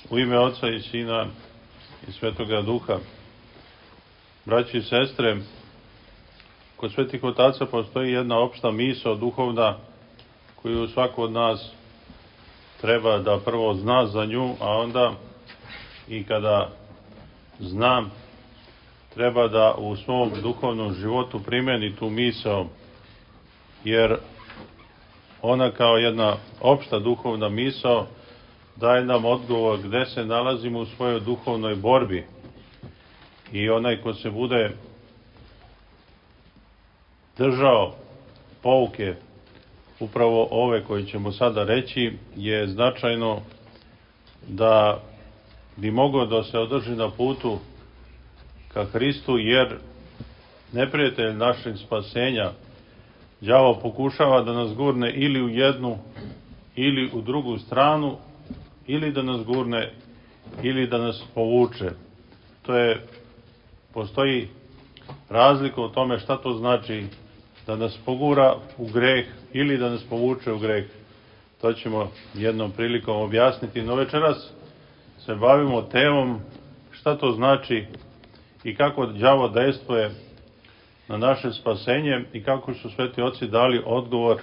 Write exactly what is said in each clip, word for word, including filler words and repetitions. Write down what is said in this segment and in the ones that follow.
U ime Oca i Sina i Svetoga Duha. Braći i sestre, kod svetih otaca postoji jedna opšta misao duhovna koju svako od nas treba da prvo zna za nju, a onda i kada zna, treba da u svom duhovnom životu primeni tu misao, jer ona kao jedna opšta duhovna misao daje nam odgovor gde se nalazimo u svojoj duhovnoj borbi. I onaj ko se bude držao pouke upravo ove koje ćemo sada reći, je značajno da bi mogao da se održi na putu ka Hristu, jer neprijatelj našeg spasenja, đavo, pokušava da nas gurne ili u jednu ili u drugu stranu, ili da nas gurne ili da nas povuče. To je, postoji razlika u tome šta to znači da nas pogura u greh ili da nas povuče u greh. To ćemo jednom prilikom objasniti, no večeras se bavimo temom šta to znači i kako đavo dejstvuje na naše spasenje i kako su sveti oci dali odgovor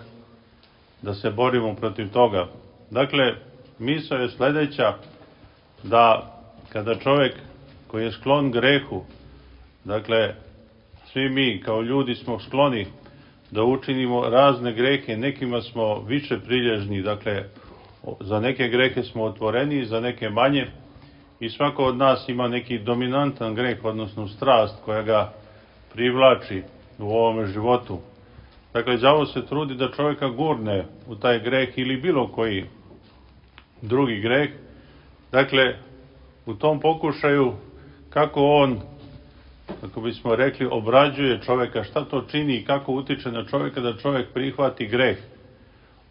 da se borimo protiv toga. Dakle, misao je sledeća, da kada čovjek koji je sklon grehu, dakle, svi mi kao ljudi smo skloni da učinimo razne grehe, nekima smo više prilježni, dakle, za neke grehe smo otvoreni, za neke manje, i svako od nas ima neki dominantan greh, odnosno strast koja ga privlači u ovome životu. Dakle, đavo se trudi da čovjeka gurne u taj greh ili bilo koji drugi greh. Dakle, u tom pokušaju kako on, kako bismo rekli, obrađuje čovjeka, šta to čini i kako utiče na čovjeka da čovjek prihvati greh.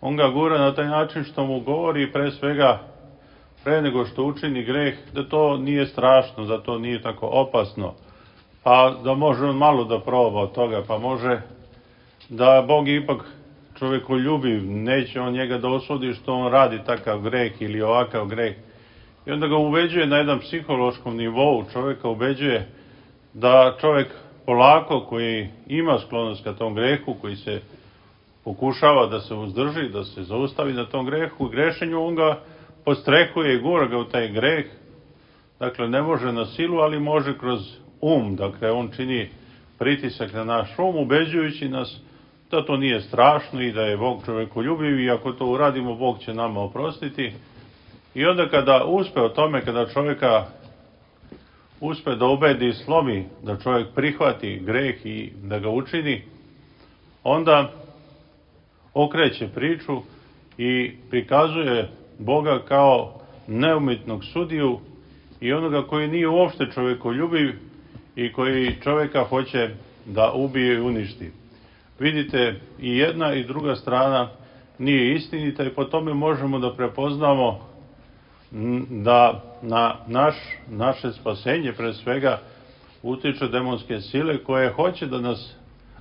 On ga gura na taj način što mu govori pre svega, pre nego što učini greh, da to nije strašno, da to nije tako opasno, pa da može on malo da proba od toga, pa može da Bog ipak čovjeku ljubiv, neće on njega da osudi što on radi takav greh ili ovakav greh. I onda ga ubeđuje na jedan psihološkom nivou, čovjeka ubeđuje da čovjek polako, koji ima sklonost ka tom grehu, koji se pokušava da se uzdrži, da se zaustavi na tom grehu i grešenju, on ga podstrehuje i gura ga u taj greh. Dakle, ne može na silu, ali može kroz um. Dakle, on čini pritisak na naš um, ubeđujući nas da to nije strašno i da je Bog čovjeku ljubiv i ako to uradimo, Bog će nama oprostiti. I onda kada uspe o tome, kada čovjeka uspe da ubedi i slomi, da čovjek prihvati greh i da ga učini, onda okreće priču i prikazuje Boga kao neumitnog sudiju i onoga koji nije uopšte čovjekoljubiv i koji čovjeka hoće da ubije i uništi. Vidite, i jedna i druga strana nije istinita i po tome možemo da prepoznamo da na naš, naše spasenje pre svega utiče demonske sile koje hoće da nas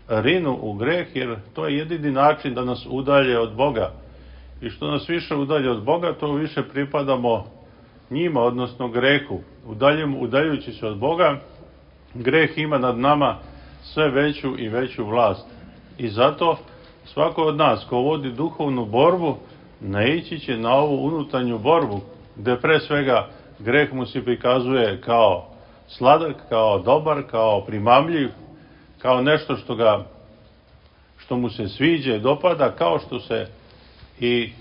rinu u greh, jer to je jedini način da nas udalje od Boga. I što nas više udalje od Boga, to više pripadamo njima, odnosno grehu. Udaljem, udaljujući se od Boga, greh ima nad nama sve veću i veću vlast. I zato svako od nas ko vodi duhovnu borbu, naići će na ovu unutarnju borbu, gde pre svega greh mu se prikazuje kao sladak, kao dobar, kao primamljiv, kao nešto što ga, što mu se sviđa i dopada, kao što se i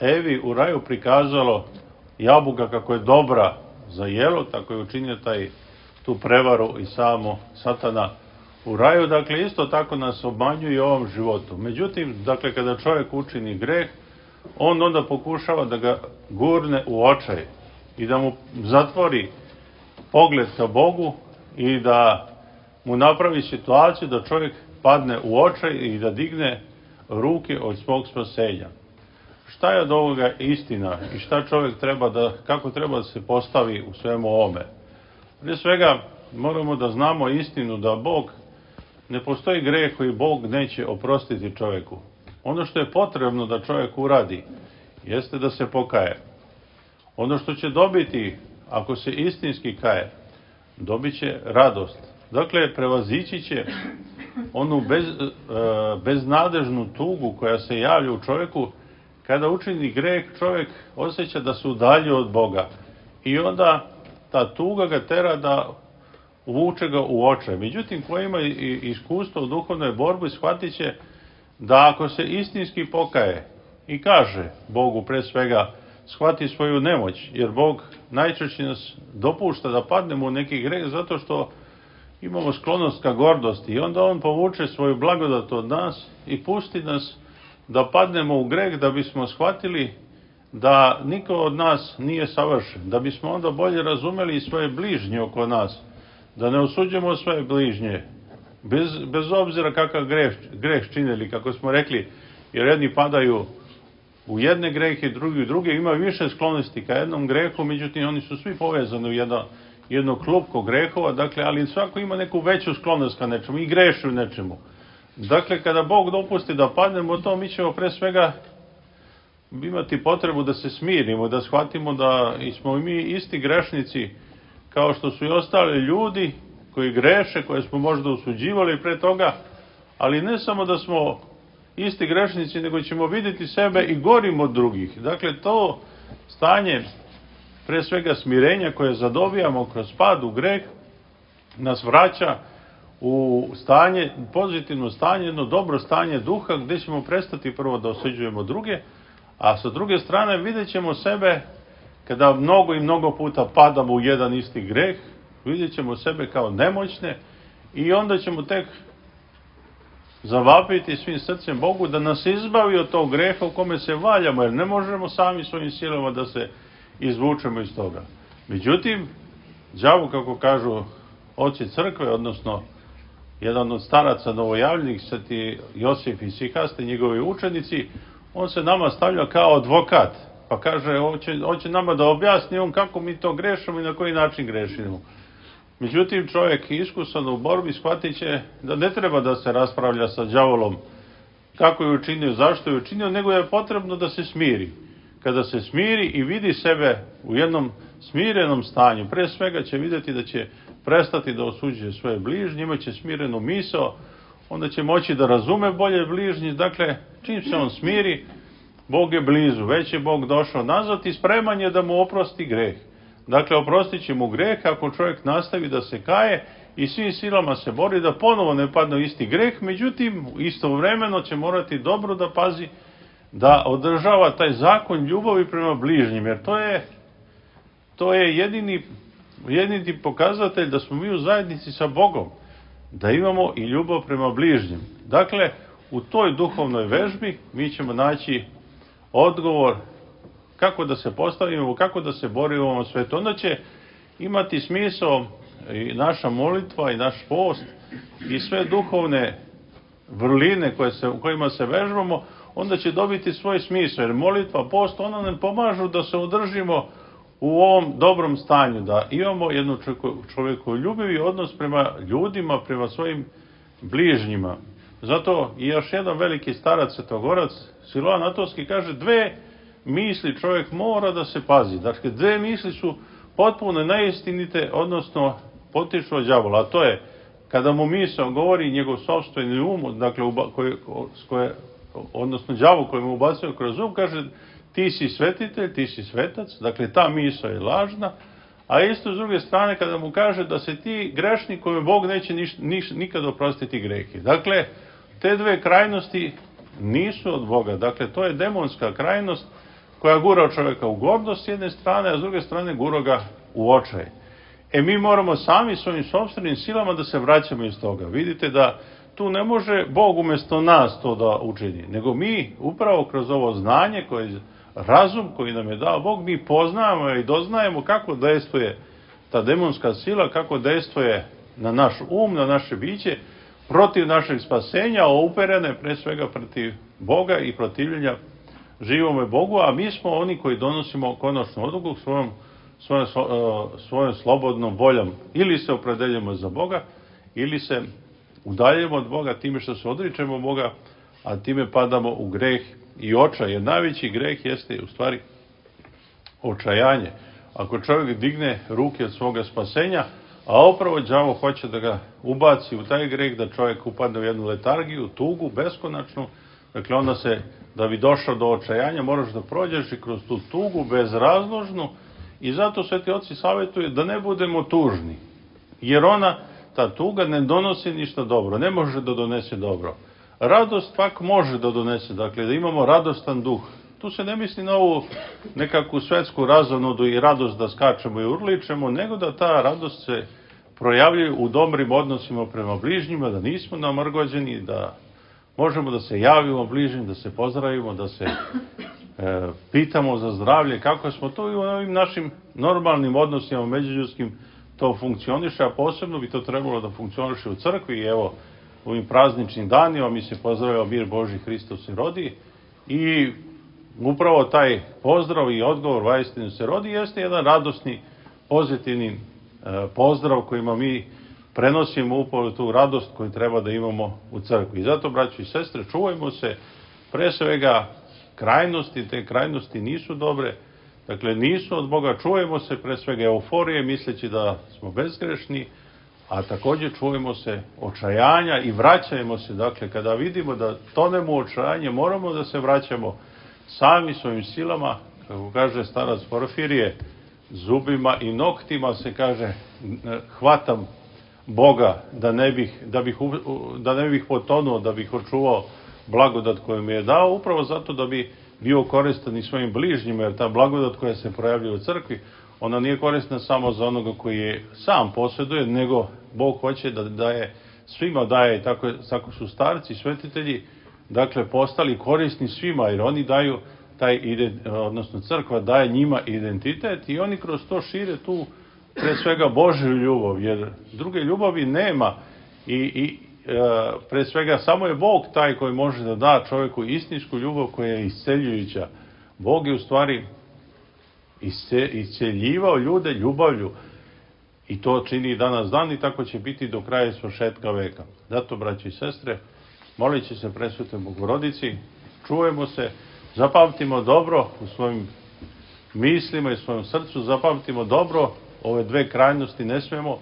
Evi u raju prikazalo jabuka kako je dobra za jelo, tako je učinio taj, tu prevaru i samo Satana u raju. Dakle, isto tako nas obmanjuje i u ovom životu. Međutim, dakle, kada čovjek učini greh, on onda pokušava da ga gurne u očaj i da mu zatvori pogled ka Bogu i da mu napravi situaciju da čovjek padne u očaj i da digne ruke od svog spasenja. Šta je od ovoga istina i šta čovjek treba da, kako treba da se postavi u svemu ovome? Prije svega moramo da znamo istinu da Bog, ne postoji greh koji Bog neće oprostiti čovjeku. Ono što je potrebno da čovjek uradi jeste da se pokaje. Ono što će dobiti, ako se istinski kaje, dobit će radost. Dakle, prevazići će onu bez, e, beznadežnu tugu koja se javlja u čovjeku. Kada učini greh, čovjek osjeća da se udaljio od Boga. I onda ta tuga ga tera da uvuče ga u očaj. Međutim, ko ima iskustvo u duhovnoj borbi, shvatit će da ako se istinski pokaje i kaže Bogu pre svega, shvati svoju nemoć, jer Bog najčešće nas dopušta da padnemo u neki greh zato što imamo sklonost ka gordosti i onda on povuče svoju blagodat od nas i pusti nas da padnemo u greh da bismo shvatili da niko od nas nije savršen, da bismo onda bolje razumeli svoje bližnje oko nas, da ne osuđujemo svoje bližnje, bez, bez obzira kakav greh, greh činili, kako smo rekli, jer jedni padaju u jedne grehe, drugi u druge, ima više sklonosti ka jednom grehu, međutim oni su svi povezani u jedno, jedno klupko grehova, dakle, ali svako ima neku veću sklonost ka nečemu i greši u nečemu. Dakle, kada Bog dopusti da padnemo to, mi ćemo pre svega imati potrebu da se smirimo, da shvatimo da smo mi isti grešnici kao što su i ostali ljudi koji greše, koje smo možda osuđivali pre toga, ali ne samo da smo isti grešnici, nego ćemo vidjeti sebe i gorim od drugih. Dakle, to stanje, pre svega smirenja koje zadobijamo kroz pad u greh, nas vraća u stanje, pozitivno stanje, jedno dobro stanje duha, gdje ćemo prestati prvo da osuđujemo druge, a sa druge strane vidjet ćemo sebe, kada mnogo i mnogo puta padamo u jedan isti greh, vidjet ćemo sebe kao nemoćne i onda ćemo tek zavapiti svim srcem Bogu da nas izbavi od tog greha u kome se valjamo, jer ne možemo sami svojim silama da se izvučemo iz toga. Međutim, đavo, kako kažu oci crkve, odnosno jedan od staraca novojavljenih, sveti Josif i Sihaste, njegovi učenici, on se nama stavlja kao advokat, pa kaže, hoće, hoće nama da objasni on kako mi to grešimo i na koji način grešimo. Međutim, čovjek iskusan u borbi shvatit će da ne treba da se raspravlja sa đavolom kako je učinio, zašto je učinio, nego je potrebno da se smiri. Kada se smiri i vidi sebe u jednom smirenom stanju, pre svega će vidjeti da će prestati da osuđuje svoje bližnje, imaće smirenu misao, onda će moći da razume bolje bližnji. Dakle, čim se on smiri, Bog je blizu, već je Bog došao nazad i spreman je da mu oprosti greh. Dakle, oprostit će mu greh ako čovjek nastavi da se kaje i svim silama se bori da ponovo ne padne u isti greh, međutim, istovremeno će morati dobro da pazi da održava taj zakon ljubavi prema bližnjim, jer to je, to je jedini, jedini pokazatelj da smo mi u zajednici sa Bogom, da imamo i ljubav prema bližnjim. Dakle, u toj duhovnoj vežbi mi ćemo naći odgovor kako da se postavimo, kako da se borimo u ovom svetu. Onda će imati smisao i naša molitva i naš post i sve duhovne vrline koje se, u kojima se vežbamo, onda će dobiti svoj smisao. Jer molitva, post, ono nam pomažu da se održimo u ovom dobrom stanju, da imamo jednu čovjekoljubivi odnos prema ljudima, prema svojim bližnjima. Zato i još jedan veliki starac, svetogorac, Siloan Atonski, kaže dve misli čovjek mora da se pazi. Dakle, dve misli su potpuno neistinite, odnosno potiču od đavola. A to je, kada mu misao govori njegov sopstveni um, dakle, koje, koje, odnosno đavo koji mu ubacuje kroz um, kaže ti si svetitelj, ti si svetac, dakle ta misao je lažna, a isto s druge strane kada mu kaže da se ti grešnik kome Bog neće niš, niš, nikad oprostiti grehe. Dakle, te dve krajnosti nisu od Boga, dakle to je demonska krajnost koja gura čovjeka u gordost s jedne strane, a s druge strane gura ga u očaj. E mi moramo sami svojim sopstvenim silama da se vraćamo iz toga. Vidite da tu ne može Bog umjesto nas to da učini, nego mi upravo kroz ovo znanje, koje, razum koji nam je dao Bog, mi poznajemo i doznajemo kako dejstvuje ta demonska sila, kako dejstvuje na naš um, na naše biće, protiv našeg spasenja, uperene pre svega protiv Boga i protivljenja živome Bogu, a mi smo oni koji donosimo konačnu odluku svojom, svojom, svojom slobodnom voljom. Ili se opredeljujemo za Boga, ili se udaljujemo od Boga time što se odričemo Boga, a time padamo u greh i očaj. Jer najveći greh jeste u stvari očajanje. Ako čovjek digne ruke od svoga spasenja, a upravo đavo hoće da ga ubaci u taj greh, da čovjek upadne u jednu letargiju, tugu, beskonačnu, dakle onda se, da bi došao do očajanja, moraš da prođeš i kroz tu tugu bezrazložnu, i zato sveti oci savjetuju da ne budemo tužni, jer ona, ta tuga, ne donosi ništa dobro, ne može da donese dobro. Radost pak može da donese, dakle da imamo radostan duh. Tu se ne misli na ovu nekakvu svetsku razonodu i radost da skačemo i urličemo, nego da ta radost se projavljuje u dobrim odnosima prema bližnjima, da nismo namrgođeni, da možemo da se javimo bližnjim, da se pozdravimo, da se e, pitamo za zdravlje, kako smo to i u ovim našim normalnim odnosima međuljudskim to funkcioniše, a posebno bi to trebalo da funkcioniše u crkvi. I evo, u ovim prazničnim danima mi se pozdravljamo mir Boži Hristos se rodi, i upravo taj pozdrav i odgovor vaistinu se rodi jeste jedan radosni, pozitivni e, pozdrav kojima mi prenosimo upravo tu radost koju treba da imamo u crkvi. I zato, braći i sestre, čuvajmo se pre svega krajnosti, te krajnosti nisu dobre, dakle nisu od Boga, čuvajmo se pre svega euforije misleći da smo bezgrešni, a također čuvajmo se očajanja i vraćajmo se, dakle kada vidimo da tonemo u očajanje, moramo da se vraćamo sami svojim silama, kako kaže starac Porfirije, zubima i noktima se kaže hvatam Boga da ne bih, da bih, da ne bih potonuo, da bih očuvao blagodat koju mi je dao, upravo zato da bi bio koristan i svojim bližnjima, jer ta blagodat koja se projavljuje u crkvi, ona nije korisna samo za onoga koji je sam posjeduje, nego Bog hoće da daje, svima daje, i tako, tako su starci i svetitelji, dakle, postali korisni svima, jer oni daju taj, odnosno crkva daje njima identitet i oni kroz to šire tu pre svega Božju ljubav, jer druge ljubavi nema i, i e, pre svega samo je Bog taj koji može da da čovjeku istinsku ljubav koja je isceljujuća. Bog je u stvari isceljivao ljude ljubavlju i to čini i danas dan i tako će biti do kraja svršetka veka. Zato, braći i sestre, molit će se presvetoj Bogorodici, čujemo se, zapamtimo dobro u svojim mislima i svojom srcu, zapamtimo dobro ove dve krajnosti, ne smemo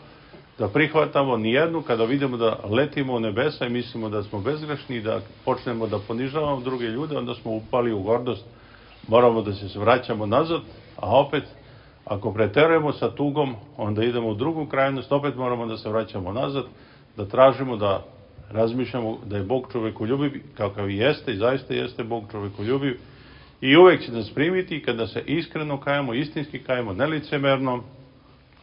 da prihvatamo ni jednu. Kada vidimo da letimo u nebesa i mislimo da smo bezgrešni i da počnemo da ponižavamo druge ljude, onda smo upali u gordost, moramo da se vraćamo nazad, a opet ako preterujemo sa tugom, onda idemo u drugu krajnost, opet moramo da se vraćamo nazad, da tražimo, da razmišljamo da je Bog čovekoljubiv, kakav i jeste, i zaista jeste Bog čovekoljubiv, i uvek će nas primiti kada se iskreno kajemo, istinski kajemo, nelicemerno,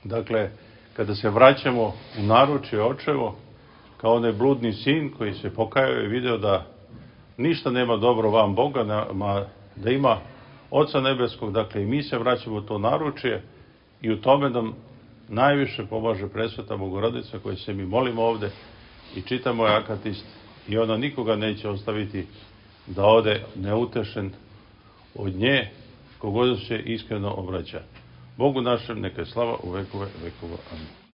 dakle, kada se vraćamo u naručje očevo, kao onaj bludni sin koji se pokajao i video da ništa nema dobro van Boga, da ima Oca nebeskog, dakle i mi se vraćamo u to naručje i u tome nam najviše pomaže presveta Bogorodica koje se mi molimo ovde i čitamo je akatist i ona nikoga neće ostaviti da ode neutešen od nje kogod se iskreno obraća. Bogu našem neka je slava u vekove vekova. Amin.